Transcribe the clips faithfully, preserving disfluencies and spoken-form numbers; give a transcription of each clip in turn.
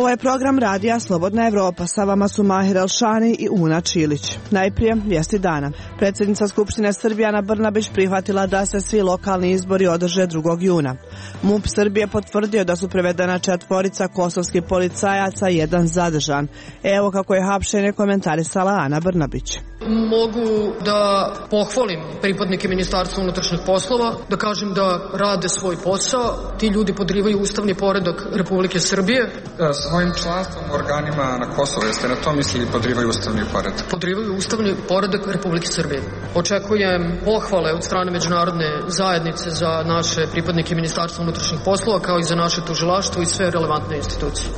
Ovo je program Radija Slobodna Evropa. Sa vama su Mahir Elšani i Una Čilić. Najprije vijesti dana. Predsjednica Skupštine Srbije Ana Brnabić prihvatila da se svi lokalni izbori održe drugog juna. MUP Srbije potvrdio da su prevedena četvorica kosovskih policajaca i jedan zadržan. Evo kako je hapšenje komentarisala Ana Brnabić. Mogu da pohvalim pripadnike Ministarstva unutrašnjih poslova, da kažem da rade svoj posao. Ti ljudi podrivaju ustavni poredak Republike Srbije. Svojim članstvom u organima na Kosovo, jeste na to mislili podrivaju ustavni poredak? Podrivaju ustavni poredak Republike Srbije. Očekujem pohvale od strane međunarodne zajednice za naše pripadnike Ministarstva unutrašnjih poslova, kao i za naše tužilaštvo i sve relevantne institucije.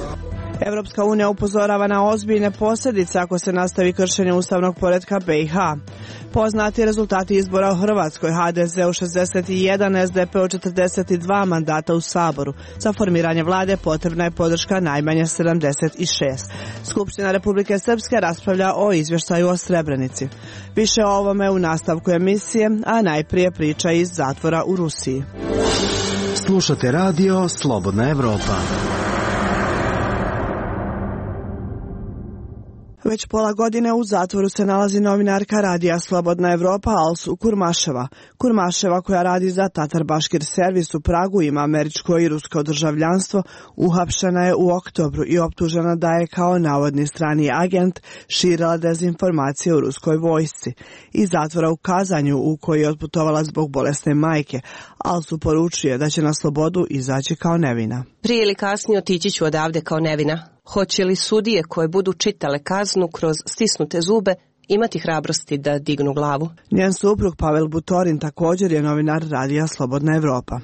Evropska unija upozorava na ozbiljne posljedice ako se nastavi kršenje ustavnog poretka be i ha. Poznati rezultati izbora u Hrvatskoj: ha de ze u šezdeset jedan, es de pe u četrdeset dva mandata u Saboru. Za formiranje vlade potrebna je podrška najmanje sedamdeset šest. Skupština Republike Srpske raspravlja o izvještaju o Srebrenici. Više o ovome u nastavku emisije, a najprije priča iz zatvora u Rusiji. Slušate radio Slobodna Evropa. Već pola godine u zatvoru se nalazi novinarka Radija Slobodna Evropa Alsu Kurmaševa. Kurmaševa, koja radi za Tatar Baškir servis u Pragu, ima američko i rusko državljanstvo, uhapšena je u oktobru i optužena da je kao navodni strani agent širila dezinformacije u ruskoj vojsci. Iz zatvora u Kazanju, u koji je otputovala zbog bolesne majke, Alsu poručuje da će na slobodu izaći kao nevina. Prije ili kasnije otići ću odavde kao nevina. Hoće li sudije koje budu čitale kaznu kroz stisnute zube imati hrabrosti da dignu glavu? Njen suprug Pavel Butorin također je novinar Radija Slobodna Evropa.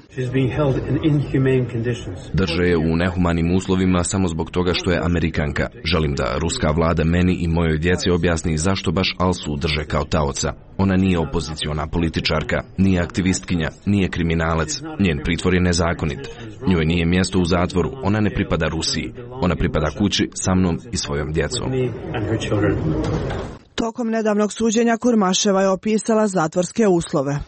Drže je u nehumanim uslovima samo zbog toga što je Amerikanka. Želim da ruska vlada meni i mojoj djeci objasni zašto baš Alsu drže kao taoca. Ona nije opoziciona političarka, nije aktivistkinja, nije kriminalac. Njen pritvor je nezakonit. Njoj nije mjesto u zatvoru, ona ne pripada Rusiji. Ona pripada kući sa mnom i svojom djecom. Tokom nedavnog suđenja Kurmaševa je opisala zatvorske uslove.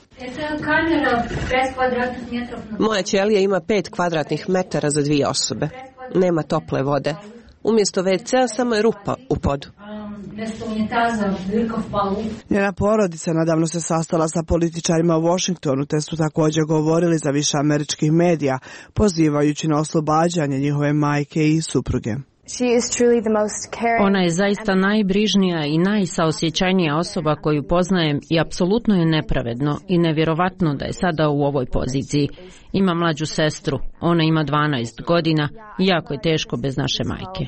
Moja ćelija ima pet kvadratnih metara za dvije osobe. Nema tople vode. Umjesto ve cea samo je rupa u podu. Njena porodica nedavno se sastala sa političarima u Washingtonu, te su također govorili za više američkih medija, pozivajući na oslobađanje njihove majke i supruge. Ona je zaista najbrižnija i najsaosjećajnija osoba koju poznajem i apsolutno je nepravedno i nevjerovatno da je sada u ovoj poziciji. Ima mlađu sestru, ona ima dvanaest godina i jako je teško bez naše majke.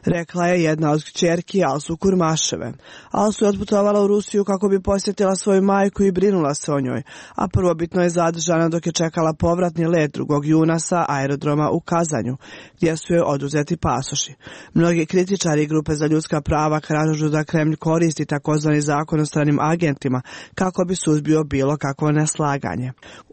Rekla je jedna od kćerki Alsu Kurmaševe. Alsu je otputovala u Rusiju kako bi posjetila svoju majku i brinula se o njoj, a prvobitno je zadržana dok je čekala povratni let drugog juna sa aerodroma u Kazanju, gdje su joj oduzeti pasoši. Mnogi kritičari i grupe za ljudska prava kažu da Kremlj koristi takozvani zakon o stranim agentima kako bi suzbio bilo kakvo neslaganje.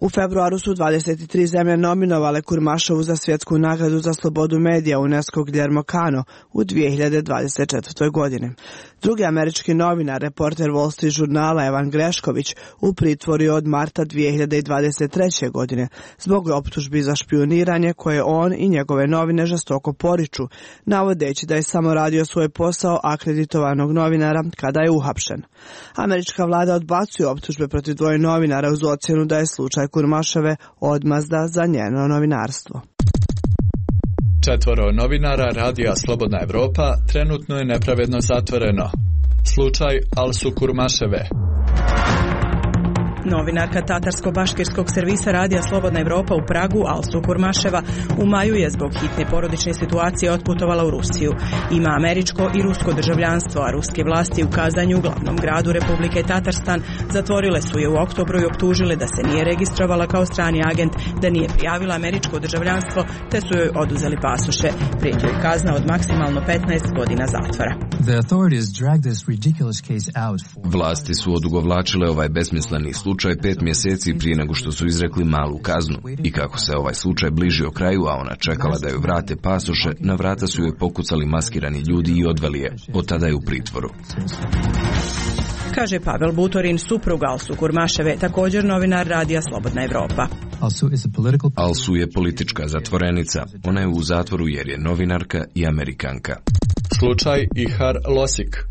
U februaru su dvadeset tri zemlje nominovale Kurmašovu za svjetsku nagradu za slobodu medija UNESCO Guillermo Cano u dvije hiljade dvadeset četvrtoj. godini. Drugi američki novinar, reporter Wall Street žurnala Evan Grešković, u pritvoru je od marta dvije hiljade dvadeset treće. godine zbog optužbi za špijuniranje koje on i njegove novine žestoko poriču, navodeći da je samo radio svoj posao akreditovanog novinara kada je uhapšen. Američka vlada odbacuje optužbe protiv dvoje novinara uz ocjenu da je slučaj Kurmaševe odmazda za njeno novinarstvo. Četvoro novinara Radija Slobodna Evropa trenutno je nepravedno zatvoreno. Slučaj Alsu Kurmaševe. Novinarka Tatarsko-baškirskog servisa Radija Slobodna Evropa u Pragu, Alsu Kurmaševa, u maju je zbog hitne porodične situacije otputovala u Rusiju. Ima američko i rusko državljanstvo, a ruske vlasti u Kazanju, glavnom gradu Republike Tatarstan, zatvorile su je u oktobru i optužile da se nije registrovala kao strani agent, da nije prijavila američko državljanstvo, te su joj oduzeli pasoše. Prijeti joj kazna od maksimalno petnaest godina zatvora. Vlasti su odugovlačile ovaj besmisleni slučaj pet mjeseci prije nego što su izrekli malu kaznu. I kako se ovaj slučaj bližio kraju, a ona čekala da joj vrate pasoše, na vrata su joj pokucali maskirani ljudi i odveli je. Od tada je u pritvoru. Kaže Pavel Butorin, suprug Alsu Kurmaševe, također novinar Radija Slobodna Evropa. Alsu je politička zatvorenica. Ona je u zatvoru jer je novinarka i Amerikanka. Slučaj Ihar Losik.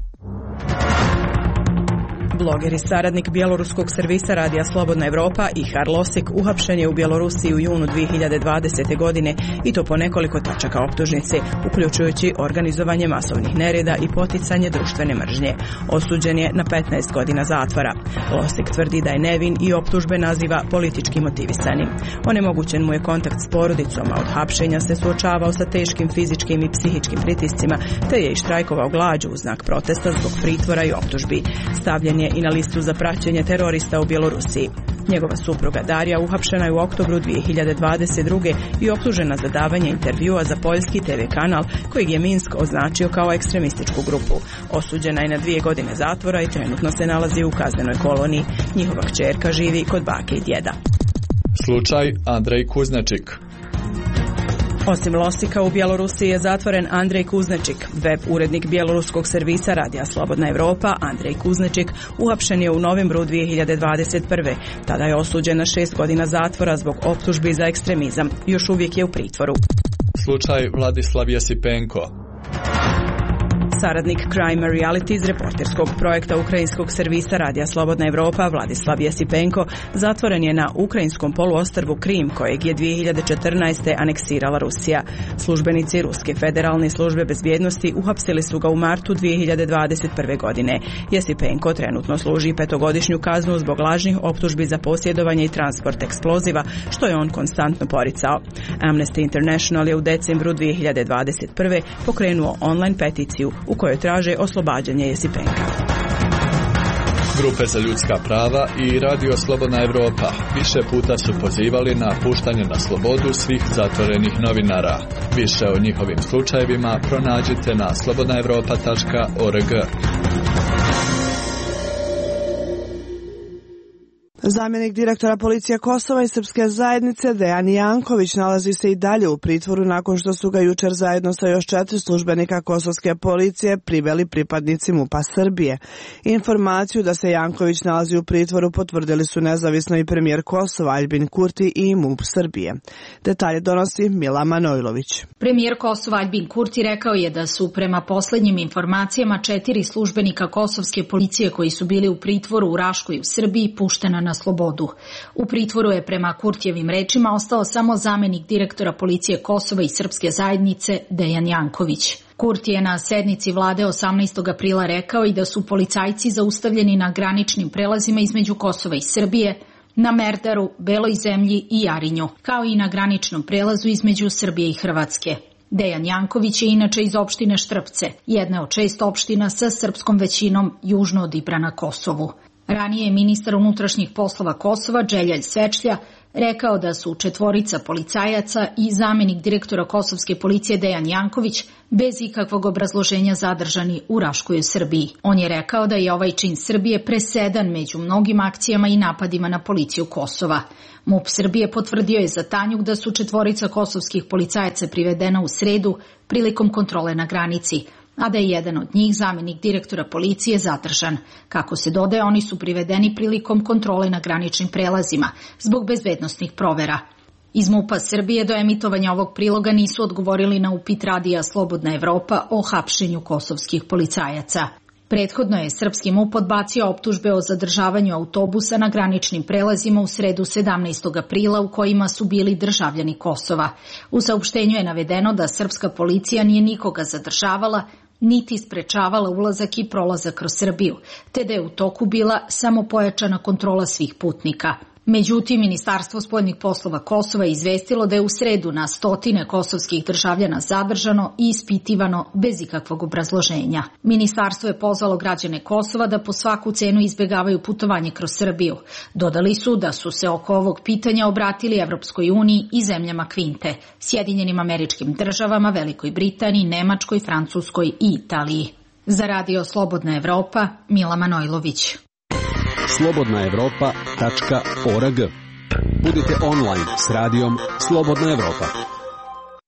Bloger i saradnik bjeloruskog servisa radija Slobodna Evropa Ihar Losik uhapšen je u Bjelorusiji u junu dvije hiljade dvadesete. godine i to po nekoliko tačaka optužnice, uključujući organizovanje masovnih nereda i poticanje društvene mržnje. Osuđen je na petnaest godina zatvora. Losik tvrdi da je nevin i optužbe naziva politički motivisanim. Onemogućen mu je kontakt s porodicom, a od hapšenja se suočavao sa teškim fizičkim i psihičkim pritiscima, te je i štrajkovao glađu u znak protesta zbog pritvora i optužbi. Stavljen je i na listu za praćenje terorista u Bjelorusiji. Njegova supruga Darija uhapšena je u oktobru dvije hiljade dvadeset druge. i optužena za davanje intervjua za poljski te ve kanal kojeg je Minsk označio kao ekstremističku grupu. Osuđena je na dvije godine zatvora i trenutno se nalazi u kaznenoj koloniji. Njihova kćerka živi kod bake i djeda. Slučaj Andrej Kuznačik. Osim Losika, u Bjelorusiji je zatvoren Andrej Kuznačik. Web urednik bjeloruskog servisa radija Slobodna Evropa, Andrej Kuznačik, uhapšen je u novembru dvije hiljade dvadeset prve. Tada je osuđen na šest godina zatvora zbog optužbi za ekstremizam. Još uvijek je u pritvoru. Slučaj Vladislav Jesipenko. Saradnik Crime Reality iz reporterskog projekta ukrajinskog servisa radija Slobodna Evropa Vladislav Jesipenko zatvoren je na ukrajinskom poluostrvu Krim, kojeg je dvije hiljade četrnaeste. aneksirala Rusija. Službenici Ruske federalne službe bezbjednosti uhapsili su ga u martu dvije hiljade dvadeset prve. godine. Jesipenko trenutno služi petogodišnju kaznu zbog lažnih optužbi za posjedovanje i transport eksploziva, što je on konstantno poricao. Amnesty International je u decembru dvije hiljade dvadeset prve. pokrenuo online peticiju u kojoj traže oslobađanje Jesipenka. Grupe za ljudska prava i Radio Slobodna Evropa više puta su pozivali na puštanje na slobodu svih zatvorenih novinara. Više o njihovim slučajevima pronađite na slobodna evropa tačka org. Zamjenik direktora policije Kosova i srpske zajednice Dejan Janković nalazi se i dalje u pritvoru nakon što su ga jučer zajedno sa još četiri službenika kosovske policije priveli pripadnici MUP-a Srbije. Informaciju da se Janković nalazi u pritvoru potvrdili su nezavisno i premijer Kosova Aljbin Kurti i MUP Srbije. Detalje donosi Mila Manojlović. Premijer Kosova Aljbin Kurti rekao je da su prema posljednjim informacijama četiri službenika kosovske policije koji su bili u pritvoru u Raškoj u Srbiji puštena na slobodu. U pritvoru je prema Kurtijevim rečima ostao samo zamjenik direktora policije Kosova i srpske zajednice Dejan Janković. Kurti je na sednici vlade osamnaestog aprila rekao i da su policajci zaustavljeni na graničnim prelazima između Kosova i Srbije, na Merdaru, Beloj zemlji i Jarinju, kao i na graničnom prelazu između Srbije i Hrvatske. Dejan Janković je inače iz opštine Štrpce, jedne od šest opština sa srpskom većinom južno od Ibra na Kosovu. Ranije je ministar unutrašnjih poslova Kosova, Dželjal Svečlja, rekao da su četvorica policajaca i zamjenik direktora kosovske policije Dejan Janković bez ikakvog obrazloženja zadržani u Raškoj u Srbiji. On je rekao da je ovaj čin Srbije presedan među mnogim akcijama i napadima na policiju Kosova. MUP Srbije potvrdio je za Tanjug da su četvorica kosovskih policajaca privedena u sredu prilikom kontrole na granici, a da je jedan od njih, zamjenik direktora policije, zadržan. Kako se dodaje, oni su privedeni prilikom kontrole na graničnim prelazima zbog bezbednosnih provera. Iz MUP-a Srbije do emitovanja ovog priloga nisu odgovorili na upit radija Slobodna Evropa o hapšenju kosovskih policajaca. Prethodno je srpski MUP odbacio optužbe o zadržavanju autobusa na graničnim prelazima u sredu sedamnaestog aprila u kojima su bili državljani Kosova. U saopštenju je navedeno da srpska policija nije nikoga zadržavala, niti sprečavala ulazak i prolazak kroz Srbiju, te da je u toku bila samo pojačana kontrola svih putnika. Međutim, Ministarstvo spoljnih poslova Kosova je izvestilo da je u sredu na stotine kosovskih državljana zadržano i ispitivano bez ikakvog obrazloženja. Ministarstvo je pozvalo građane Kosova da po svaku cenu izbjegavaju putovanje kroz Srbiju. Dodali su da su se oko ovog pitanja obratili Evropskoj uniji i zemljama Kvinte, Sjedinjenim Američkim Državama, Velikoj Britaniji, Nemačkoj, Francuskoj i Italiji. Za Radio Slobodna Evropa, Mila Manojlović. slobodna evropa tačka org. Budite online s radijom Slobodna Evropa.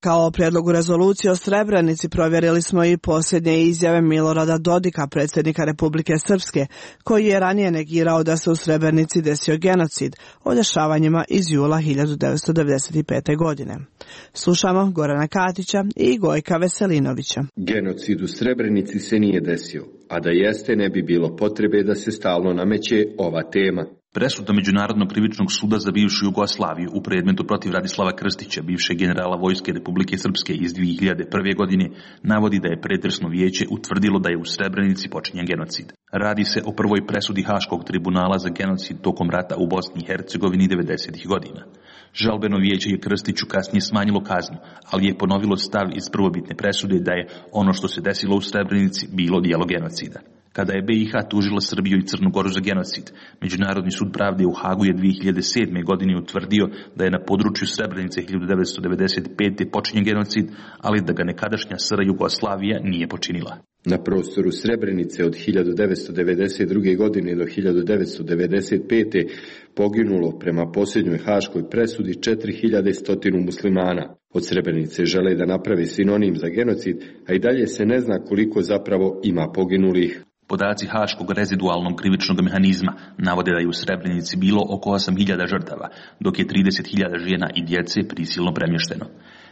Kao o prijedlogu rezolucije o Srebrenici provjerili smo i posljednje izjave Milorada Dodika, predsjednika Republike Srpske, koji je ranije negirao da se u Srebrenici desio genocid o dešavanjima iz jula hiljadu devetsto devedeset pete. godine. Slušamo Gorana Katića i Gojka Veselinovića. Genocid u Srebrenici se nije desio, a da jeste ne bi bilo potrebe da se stalno nameće ova tema. Presuda Međunarodnog krivičnog suda za bivšu Jugoslaviju u predmetu protiv Radislava Krstića, bivšeg generala Vojske Republike Srpske iz dvije hiljade prve. godine, navodi da je pretresno vijeće utvrdilo da je u Srebrenici počinjen genocid. Radi se o prvoj presudi Haškog tribunala za genocid tokom rata u Bosni i Hercegovini devedesetih godina. Žalbeno vijeće je Krstiću kasnije smanjilo kaznu, ali je ponovilo stav iz prvobitne presude da je ono što se desilo u Srebrenici bilo djelo genocida. Kada je B i H tužila Srbiju i Crnu Goru za genocid, Međunarodni sud pravde u Hagu je dvije hiljade sedme. godine utvrdio da je na području Srebrenice hiljadu devetsto devedeset pete. počinjen genocid, ali da ga nekadašnja S R Jugoslavija nije počinila. Na prostoru Srebrenice od hiljadu devetsto devedeset druge. godine do hiljadu devetsto devedeset pete. poginulo prema posljednjoj haškoj presudi četiri hiljade sto muslimana. Od Srebrenice žele da naprave sinonim za genocid, a i dalje se ne zna koliko zapravo ima poginulih. Podaci Haškog rezidualnog krivičnog mehanizma navode da je u Srebrenici bilo oko osam hiljada žrtava, dok je trideset hiljada žena i djece prisilno premješteno.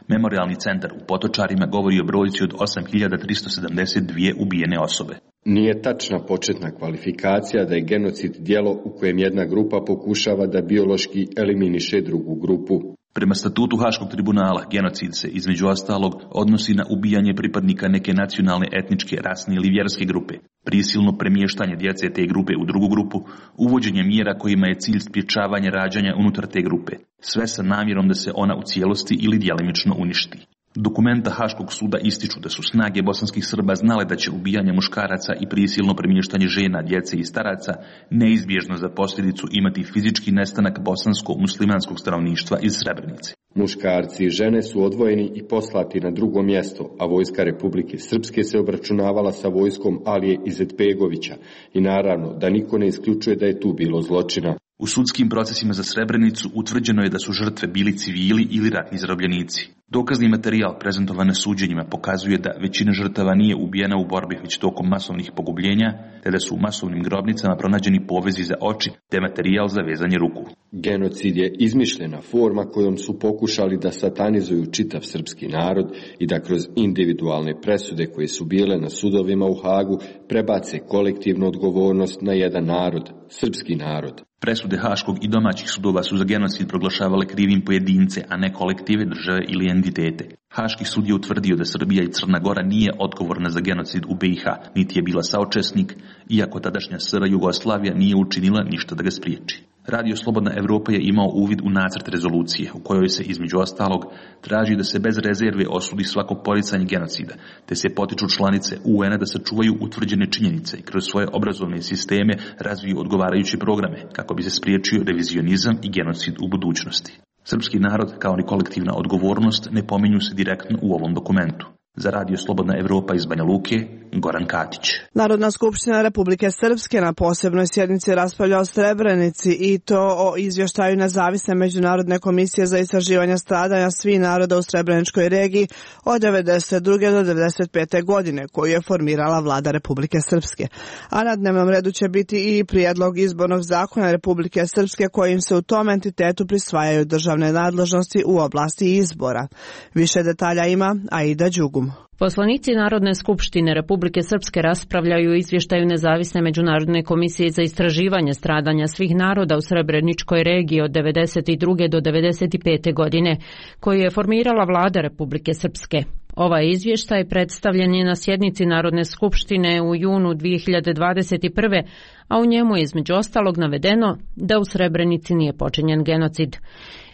Memorialni centar u Potočarima govori o brojci od osam hiljada tristo sedamdeset dvije ubijene osobe. Nije tačna početna kvalifikacija da je genocid djelo u kojem jedna grupa pokušava da biološki eliminiše drugu grupu. Prema statutu Haškog tribunala, genocid se, između ostalog, odnosi na ubijanje pripadnika neke nacionalne, etničke, rasne ili vjerske grupe, prisilno premještanje djece te grupe u drugu grupu, uvođenje mjera kojima je cilj sprječavanje rađanja unutar te grupe, sve sa namjerom da se ona u cijelosti ili djelimično uništi. Dokumenta Haškog suda ističu da su snage bosanskih Srba znale da će ubijanje muškaraca i prisilno premještanje žena, djece i staraca neizbježno za posljedicu imati fizički nestanak bosansko-muslimanskog stanovništva iz Srebrenice. Muškarci i žene su odvojeni i poslati na drugo mjesto, a vojska Republike Srpske se obračunavala sa vojskom Alije Izetbegovića i naravno da niko ne isključuje da je tu bilo zločina. U sudskim procesima za Srebrenicu utvrđeno je da su žrtve bili civili ili ratni zarobljenici. Dokazni materijal prezentovan na suđenjima pokazuje da većina žrtava nije ubijena u borbi već tokom masovnih pogubljenja, te da su u masovnim grobnicama pronađeni povezi za oči te materijal za vezanje ruku. Genocid je izmišljena forma kojom su pokušali da satanizuju čitav srpski narod i da kroz individualne presude koje su bile na sudovima u Hagu prebace kolektivnu odgovornost na jedan narod, srpski narod. Presude Haškog i domaćih sudova su za genocid proglašavale krivim pojedince, a ne kolektive, države ili entitete. Haški sud je utvrdio da Srbija i Crna Gora nije odgovorna za genocid u B i H, niti je bila saučesnik, iako tadašnja S R Jugoslavija nije učinila ništa da ga spriječi. Radio Slobodna Evropa je imao uvid u nacrt rezolucije, u kojoj se između ostalog traži da se bez rezerve osudi svako poricanje genocida, te se potiču članice U N-a da sačuvaju utvrđene činjenice i kroz svoje obrazovne sisteme razviju odgovarajuće programe, kako bi se spriječio revizionizam i genocid u budućnosti. Srpski narod, kao ni kolektivna odgovornost, ne pominju se direktno u ovom dokumentu. Za Radio Slobodna Evropa iz Banja Luke, Goran Katić. Narodna skupština Republike Srpske na posebnoj sjednici raspravlja o Srebrenici i to o izvještaju nezavisne međunarodne komisije za istraživanje stradanja svih naroda u Srebreničkoj regiji od devedeset druge do devedeset pete. godine, koju je formirala vlada Republike Srpske. A na dnevnom redu će biti i prijedlog izbornog zakona Republike Srpske kojim se u tom entitetu prisvajaju državne nadležnosti u oblasti izbora. Više detalja ima Aida Đugum. Poslanici Narodne skupštine Republike Srpske raspravljaju o izvještaju nezavisne međunarodne komisije za istraživanje stradanja svih naroda u Srebreničkoj regiji od devedeset druge do devedeset pete. godine, koju je formirala vlada Republike Srpske. Ovaj izvještaj predstavljen je na sjednici Narodne skupštine u junu dvije hiljade dvadeset prve. a u njemu je između ostalog navedeno da u Srebrenici nije počinjen genocid.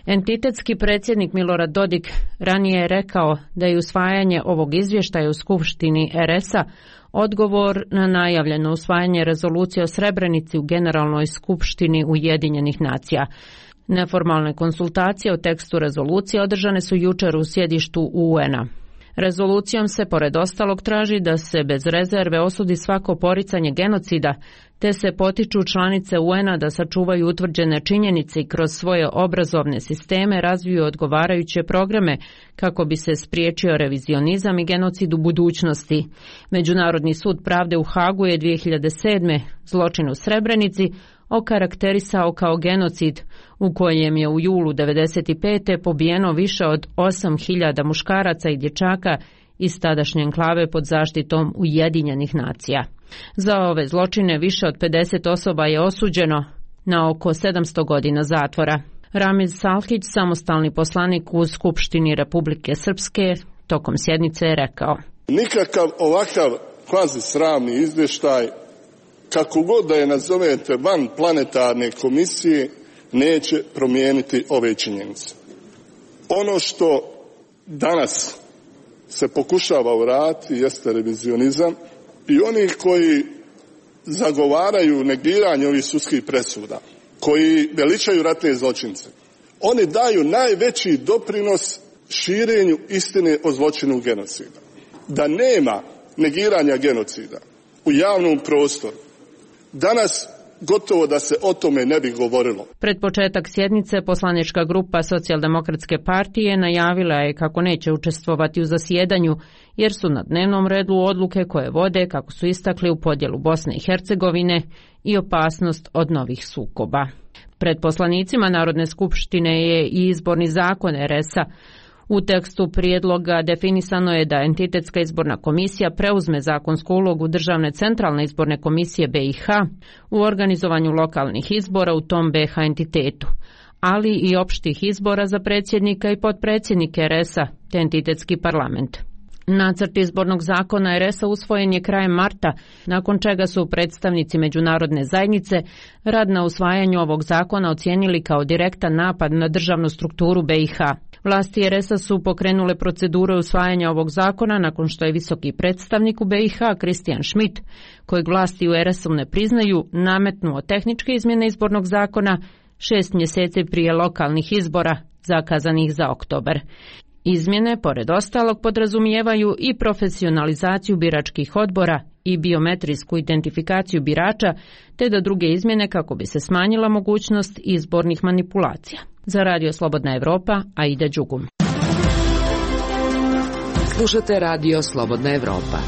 Entitetski predsjednik Milorad Dodik ranije je rekao da je usvajanje ovog izvještaja u Skupštini R S-a odgovor na najavljeno usvajanje rezolucije o Srebrenici u Generalnoj skupštini Ujedinjenih nacija. Neformalne konsultacije o tekstu rezolucije održane su jučer u sjedištu U N-a. Rezolucijom se pored ostalog traži da se bez rezerve osudi svako poricanje genocida, te se potiču članice U N-a da sačuvaju utvrđene činjenice i kroz svoje obrazovne sisteme razviju odgovarajuće programe kako bi se spriječio revizionizam i genocid u budućnosti. Međunarodni sud pravde u Hagu je dvije hiljade sedme zločin u Srebrenici okarakterisao kao genocid u kojem je u julu devedeset pete pobijeno više od osam hiljada muškaraca i dječaka iz tadašnje enklave pod zaštitom Ujedinjenih nacija. Za ove zločine više od pedeset osoba je osuđeno na oko sedamsto godina zatvora. Ramiz Salhić, samostalni poslanik u Skupštini Republike Srpske, tokom sjednice je rekao: nikakav ovakav kvazi sramni izvještaj, kako god da je nazovete, van planetarne komisije, neće promijeniti ove činjenice. Ono što danas se pokušava uraditi jeste revizionizam i oni koji zagovaraju negiranje ovih sudskih presuda, koji veličaju ratne zločince, oni daju najveći doprinos širenju istine o zločinu genocida. Da nema negiranja genocida u javnom prostoru, danas gotovo da se o tome ne bi govorilo. Pred početak sjednice poslanička grupa Socijaldemokratske partije najavila je kako neće učestvovati u zasjedanju, jer su na dnevnom redu odluke koje vode, kako su istakli, u podjelu Bosne i Hercegovine i opasnost od novih sukoba. Pred poslanicima Narodne skupštine je i izborni zakon R S-a. U tekstu prijedloga definisano je da Entitetska izborna komisija preuzme zakonsku ulogu Državne centralne izborne komisije B i H u organizovanju lokalnih izbora u tom B i H entitetu, ali i opštih izbora za predsjednika i potpredsjednike R S-a te entitetski parlament. Nacrt izbornog zakona R S-a usvojen je krajem marta, nakon čega su predstavnici međunarodne zajednice rad na usvajanju ovog zakona ocijenili kao direktan napad na državnu strukturu B i H. Vlasti R S-a su pokrenule procedure usvajanja ovog zakona nakon što je visoki predstavnik u B i H Christian Schmidt, kojeg vlasti u R S-u ne priznaju, nametnuo tehničke izmjene izbornog zakona šest mjeseci prije lokalnih izbora zakazanih za oktobar. Izmjene, pored ostalog, podrazumijevaju i profesionalizaciju biračkih odbora i biometrijsku identifikaciju birača, te da druge izmjene kako bi se smanjila mogućnost izbornih manipulacija. Za Radio Slobodna Evropa, Aida Đugum. Slušate Radio Slobodna Evropa.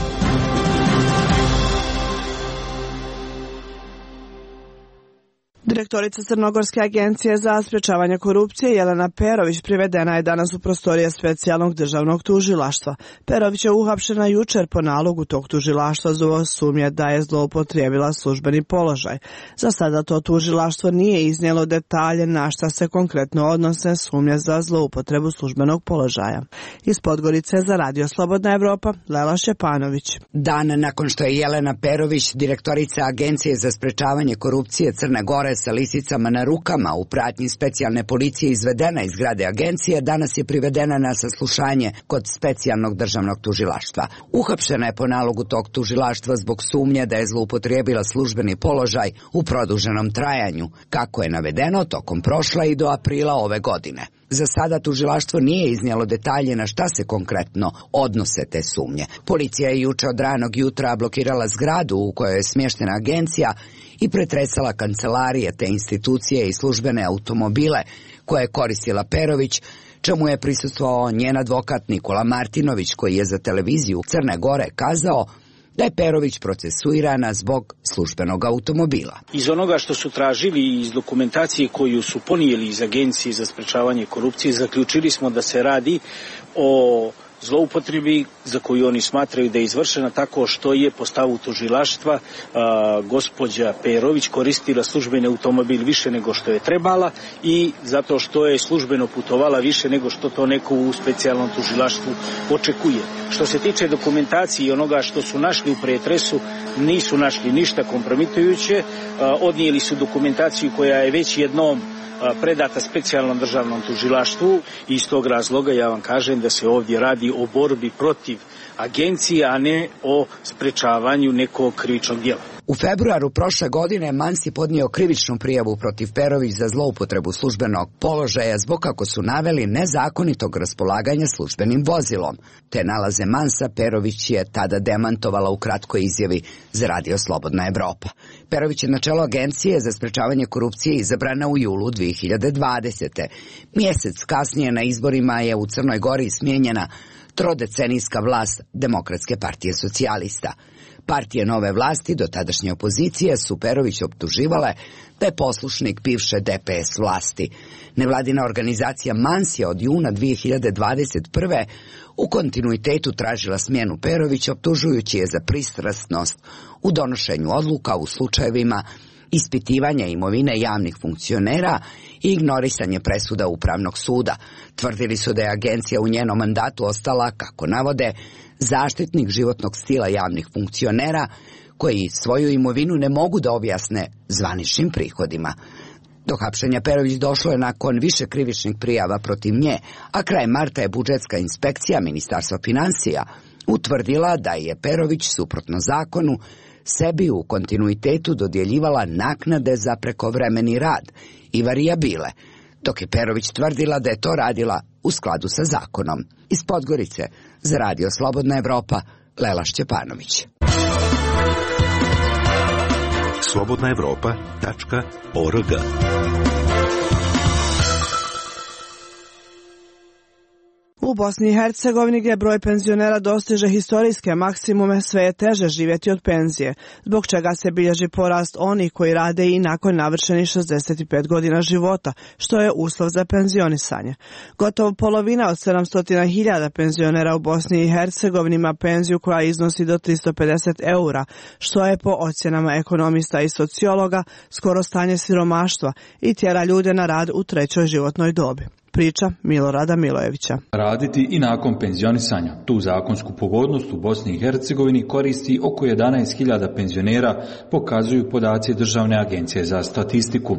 Direktorica Crnogorske agencije za sprečavanje korupcije Jelena Perović privedena je danas u prostorije specijalnog državnog tužilaštva. Perović je uhapšena jučer po nalogu tog tužilaštva zbog sumnje da je zloupotrijebila službeni položaj. Za sada to tužilaštvo nije iznijelo detalje na šta se konkretno odnose sumnje za zloupotrebu službenog položaja. Iz Podgorice za Radio Slobodna Evropa, Lela Šćepanović. Dan nakon što je Jelena Perović, direktorica Agencije za sprečavanje korupcije Crne Gore, sa lisicama na rukama u pratnji specijalne policije izvedena iz zgrade agencije, danas je privedena na saslušanje kod specijalnog državnog tužilaštva. Uhapšena je po nalogu tog tužilaštva zbog sumnje da je zloupotrijebila službeni položaj u produženom trajanju, kako je navedeno tokom prošla i do aprila ove godine. Za sada tužilaštvo nije iznijelo detalje na šta se konkretno odnose te sumnje. Policija je juče od ranog jutra blokirala zgradu u kojoj je smještena agencija i pretresala kancelarije te institucije i službene automobile koje je koristila Perović, čemu je prisustvovao njen advokat Nikola Martinović, koji je za televiziju Crne Gore kazao da je Perović procesuirana zbog službenog automobila. Iz onoga što su tražili i iz dokumentacije koju su ponijeli iz Agencije za sprečavanje korupcije, zaključili smo da se radi o zloupotrebi za koju oni smatraju da je izvršena tako što je po stavu tužilaštva a, gospođa Perović koristila službeni automobil više nego što je trebala i zato što je službeno putovala više nego što to neko u specijalnom tužilaštvu očekuje. Što se tiče dokumentacije i onoga što su našli u pretresu, nisu našli ništa kompromitujuće, a, odnijeli su dokumentaciju koja je već jednom predata specijalnom državnom tužilaštvu i iz tog razloga ja vam kažem da se ovdje radi o borbi protiv agencije, a ne o sprečavanju nekog krivičnog djela. U februaru prošle godine Mans je podnio krivičnu prijavu protiv Perović za zloupotrebu službenog položaja zbog, kako su naveli, nezakonitog raspolaganja službenim vozilom. Te nalaze Mansa Perović je tada demantovala u kratkoj izjavi za Radio Slobodna Evropa. Perović je na čelo Agencije za sprečavanje korupcije izabrana u julu dve hiljade dvadesete. Mjesec kasnije na izborima je u Crnoj Gori smijenjena trodecenijska vlast Demokratske partije socijalista. Partije nove vlasti do tadašnje opozicije su Perović optuživale da je poslušnik bivše D P S vlasti. Nevladina organizacija Mans je od juna dve hiljade dvadeset prve u kontinuitetu tražila smjenu Perovića, optužujući je za pristrasnost u donošenju odluka u slučajevima ispitivanja imovine javnih funkcionera i ignorisanje presuda Upravnog suda. Tvrdili su da je agencija u njenom mandatu ostala, kako navode, zaštitnik životnog stila javnih funkcionera koji svoju imovinu ne mogu da objasne zvaničnim prihodima. Do hapšenja Perović došlo je nakon više krivičnih prijava protiv nje, a kraj marta je budžetska inspekcija Ministarstva financija utvrdila da je Perović, suprotno zakonu, sebi u kontinuitetu dodjeljivala naknade za prekovremeni rad i varijabile, dok je Perović tvrdila da je to radila u skladu sa zakonom. Iz Podgorice za Radio Slobodna Evropa, Lela Šćepanović. slobodna evropa tačka org. U Bosni i Hercegovini, gdje broj penzionera dostiže historijske maksimume, sve je teže živjeti od penzije, zbog čega se bilježi porast onih koji rade i nakon navršenih šezdeset pet godina života, što je uslov za penzionisanje. Gotovo polovina od sedamsto hiljada penzionera u Bosni i Hercegovini ima penziju koja iznosi do tristo pedeset eura, što je po ocjenama ekonomista i sociologa skoro stanje siromaštva i tjera ljude na rad u trećoj životnoj dobi. Priča Milorada Milojevića. Raditi i nakon penzionisanja. Tu zakonsku pogodnost u Bosni i Hercegovini koristi oko jedanaest hiljada penzionera, pokazuju podaci Državne agencije za statistiku.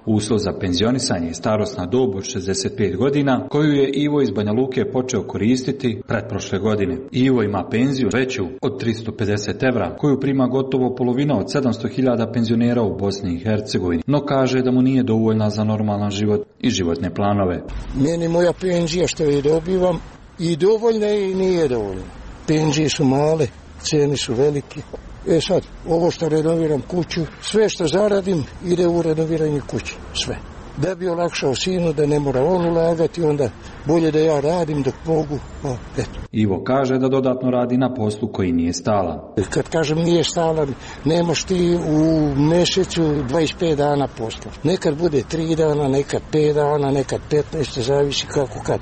Uslov za penzionisanje je starosna dob od šezdeset pet godina, koju je Ivo iz Banja Luke počeo koristiti pretprošle godine. Ivo ima penziju veću od tristo pedeset evra, koju prima gotovo polovina od sedamsto hiljada penzionera u Bosni i Hercegovini, no kaže da mu nije dovoljna za normalan život i životne planove. Meni moja penzija što je dobivam i dovoljna i nije dovoljna. Penzije su male, cijene su velike. E sad, ovo što renoviram kuću, sve što zaradim ide u renoviranje kuće, sve. Da bi olakšao sinu, da ne mora on ulagati, onda bolje da ja radim dok mogu. O, eto. Ivo kaže da dodatno radi na poslu koji nije stalan. Kad kažem nije stalan, nemaš ti u mjesecu dvadeset pet dana posla. Nekad bude tri dana, nekad pet dana, nekad petnaest, zavisi kako kad.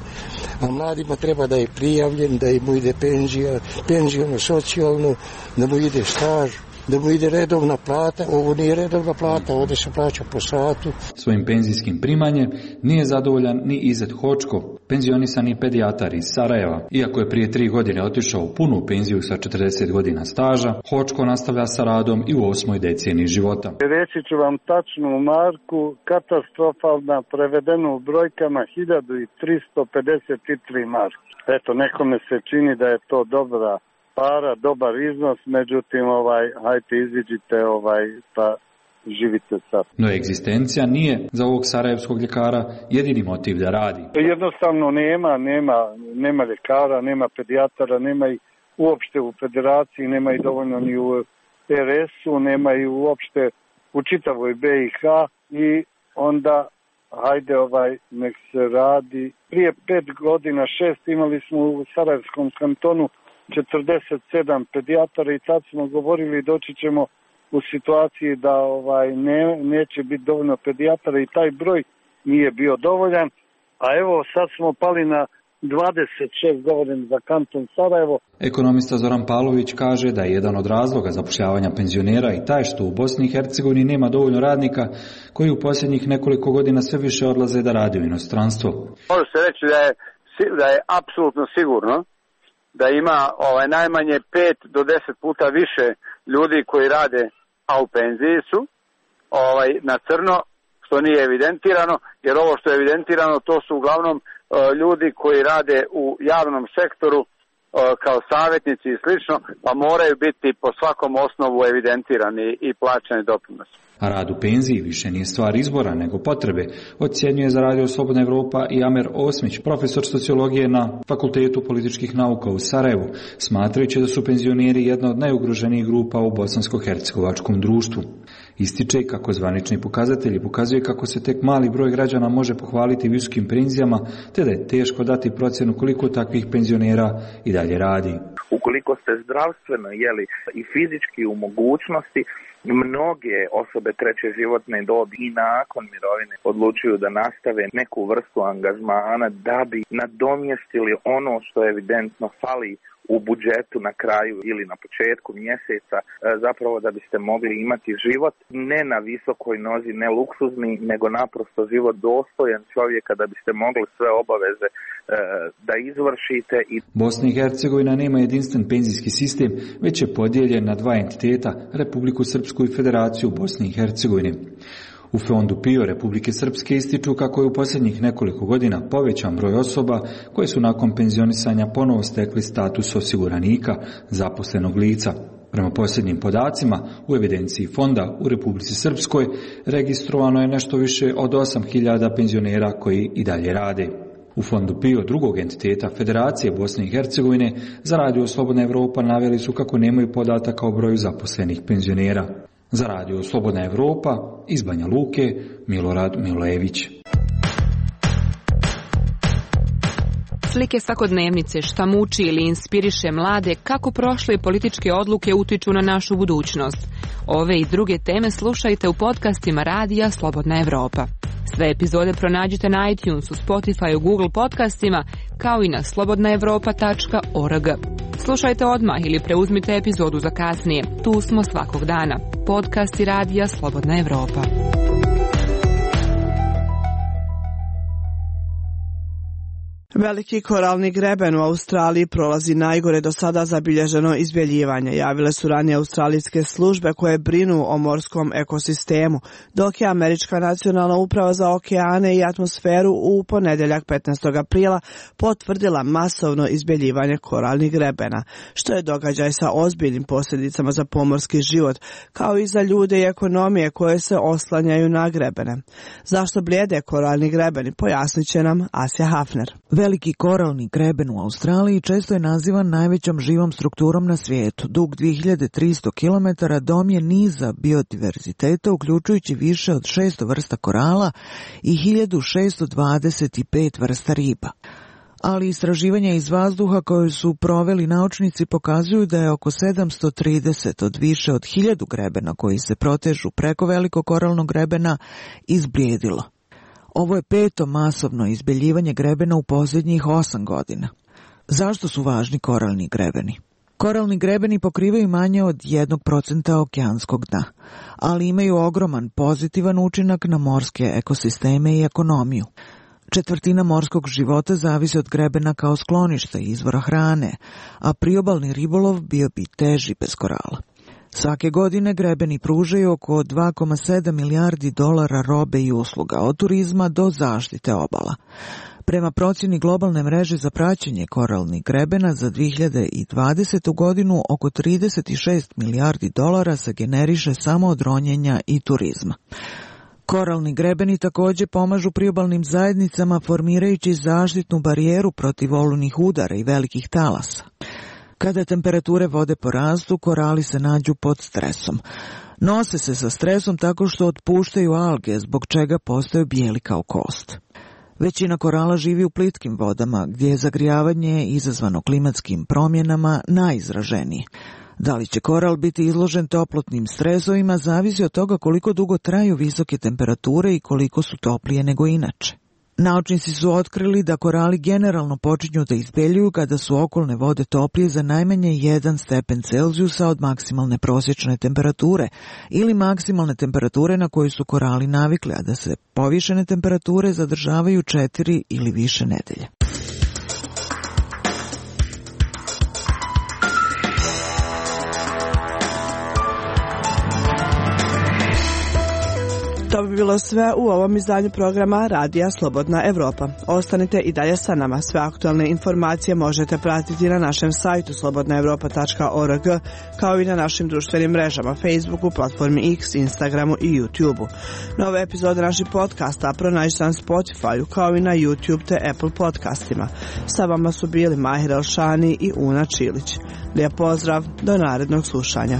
A mladima treba da je prijavljen, da mu ide penzija, penzijno, socijalno, da mu ide staž, da mu ide redovna plata. Ovo nije redovna plata, ovdje se plaća po satu. Svojim penzijskim primanjem nije zadovoljan ni Izet Hočko, penzionisani pedijatar iz Sarajeva. Iako je prije tri godine otišao u punu penziju sa četrdeset godina staža, Hočko nastavlja sa radom i u osmoj deceniji života. Reći ću vam tačnu marku, katastrofalna, prevedeno u brojkama hiljadu tristo pedeset tri marke. Eto, nekome se čini da je to dobra para, dobar iznos, međutim, ovaj, hajte iziđite, ovaj, pa živite sad. No egzistencija nije za ovog sarajevskog ljekara jedini motiv da radi. Jednostavno nema, nema, nema ljekara, nema pedijatara, nema i uopšte u federaciji, nema i dovoljno ni u R S-u, nema i uopšte u čitavoj B i H i onda hajde ovaj, nek se radi. Prije pet godina, šest, imali smo u Sarajevskom kantonu četrdeset sedam pedijatara i tad smo govorili doći ćemo u situaciji da ovaj ne, neće biti dovoljno pedijatara i taj broj nije bio dovoljan, a evo sad smo pali na dvadeset šest, govorim za kanton Sarajevo. Ekonomista Zoran Pavlović kaže da je jedan od razloga zapošljavanja penzionera i taj što u Bosni i Hercegovini nema dovoljno radnika koji u posljednjih nekoliko godina sve više odlaze da rade u inostranstvo. Može se reći da je, da je apsolutno sigurno da ima ovaj, najmanje pet do deset puta više ljudi koji rade, a u penziji su, ovaj, na crno, što nije evidentirano, jer ovo što je evidentirano to su uglavnom uh, ljudi koji rade u javnom sektoru kao savjetnici i slično, pa moraju biti po svakom osnovu evidentirani i plaćani doprinosi. A rad u penziji više nije stvar izbora nego potrebe, ocjenjuje za Radio Slobodna Evropa i Amer Osmić, profesor sociologije na Fakultetu političkih nauka u Sarajevu, smatrajući da su penzioneri jedna od najugroženijih grupa u bosansko-hercegovačkom društvu. Ističe kako zvanični pokazatelji pokazuju kako se tek mali broj građana može pohvaliti visokim penzijama, te da je teško dati procjenu koliko takvih penzionera i dalje radi. Ukoliko ste zdravstveno jeli, i fizički u mogućnosti, mnoge osobe treće životne dobi i nakon mirovine odlučuju da nastave neku vrstu angažmana da bi nadomjestili ono što evidentno fali u budžetu na kraju ili na početku mjeseca, zapravo da biste mogli imati život ne na visokoj nozi, ne luksuzni, nego naprosto život dostojan čovjeka da biste mogli sve obaveze da izvršite. Bosna i Hercegovina nema jedinstven penzijski sistem, već je podijeljen na dva entiteta, Republiku Srpsku i Federaciju Bosne i Hercegovine. U Fondu P I O Republike Srpske ističu kako je u posljednjih nekoliko godina povećan broj osoba koje su nakon penzionisanja ponovo stekli status osiguranika, zaposlenog lica. Prema posljednjim podacima, u evidenciji fonda u Republici Srpskoj registrovano je nešto više od osam hiljada penzionera koji i dalje rade. U Fondu P I O drugog entiteta Federacije Bosne i Hercegovine za Radio Slobodna Evropa naveli su kako nemaju podataka o broju zaposlenih penzionera. Za Radio Slobodna Evropa iz Banja Luke, Milorad Milojević. Slike svakodnevnice, šta muči ili inspiriše mlade, kako prošle političke odluke utiču na našu budućnost. Ove i druge teme slušajte u podcastima Radija Slobodna Evropa. Sve epizode pronađite na iTunesu, Spotifyu, Google podcastima, kao i na slobodna evropa tačka org. Slušajte odmah ili preuzmite epizodu za kasnije. Tu smo svakog dana. Podcasti Radija Slobodna Evropa. Veliki koralni greben u Australiji prolazi najgore do sada zabilježeno izbjeljivanje. Javile su ranije australijske službe koje brinu o morskom ekosistemu, dok je Američka nacionalna uprava za okeane i atmosferu u ponedjeljak petnaestog aprila potvrdila masovno izbjeljivanje koralnih grebena, što je događaj sa ozbiljnim posljedicama za pomorski život, kao i za ljude i ekonomije koje se oslanjaju na grebene. Zašto blijede koralni grebeni, pojasnit će nam Asja Hafner. Veliki koralni greben u Australiji često je nazivan najvećom živom strukturom na svijetu. Dug dvije hiljade tristo kilometara dom je niza biodiverziteta, uključujući više od šesto vrsta korala i hiljadu šesto dvadeset pet vrsta riba. Ali istraživanja iz vazduha koje su proveli naučnici pokazuju da je oko sedamsto trideset od više od hiljadu grebena koji se protežu preko velikog koralnog grebena izblijedilo. Ovo je peto masovno izbeljivanje grebena u posljednjih osam godina. Zašto su važni koralni grebeni? Koralni grebeni pokrivaju manje od jednog procenta okeanskog dna, ali imaju ogroman pozitivan učinak na morske ekosisteme i ekonomiju. Četvrtina morskog života zavisi od grebena kao skloništa i izvora hrane, a priobalni ribolov bio bi teži bez korala. Svake godine grebeni pružaju oko dva zarez sedam milijardi dolara robe i usluga, od turizma do zaštite obala. Prema procjeni globalne mreže za praćenje koralnih grebena za dvije hiljade dvadesetu godinu oko trideset šest milijardi dolara se generiše samo od ronjenja i turizma. Koralni grebeni također pomažu priobalnim zajednicama formirajući zaštitnu barijeru protiv olujnih udara i velikih talasa. Kada temperature vode porastu, korali se nađu pod stresom. Nose se sa stresom tako što otpuštaju alge, zbog čega postaju bijeli kao kost. Većina korala živi u plitkim vodama, gdje je zagrijavanje izazvano klimatskim promjenama najizraženije. Da li će koral biti izložen toplotnim stresovima zavisi od toga koliko dugo traju visoke temperature i koliko su toplije nego inače. Naučnici su otkrili da korali generalno počinju da izbeljuju kada su okolne vode toplije za najmanje jedan stepen Celzijusa od maksimalne prosječne temperature ili maksimalne temperature na koju su korali navikli, a da se povišene temperature zadržavaju četiri ili više nedelje. To bi bilo sve u ovom izdanju programa Radija Slobodna Evropa. Ostanite i dalje sa nama. Sve aktualne informacije možete pratiti na našem sajtu slobodna evropa tačka org, kao i na našim društvenim mrežama Facebooku, platformi X, Instagramu i YouTubeu. Nove epizode naših podcasta pronađite na Spotifyu, kao i na YouTube te Apple podcastima. Sa vama su bili Mahir Elšani i Una Čilić. Lijep pozdrav, do narednog slušanja.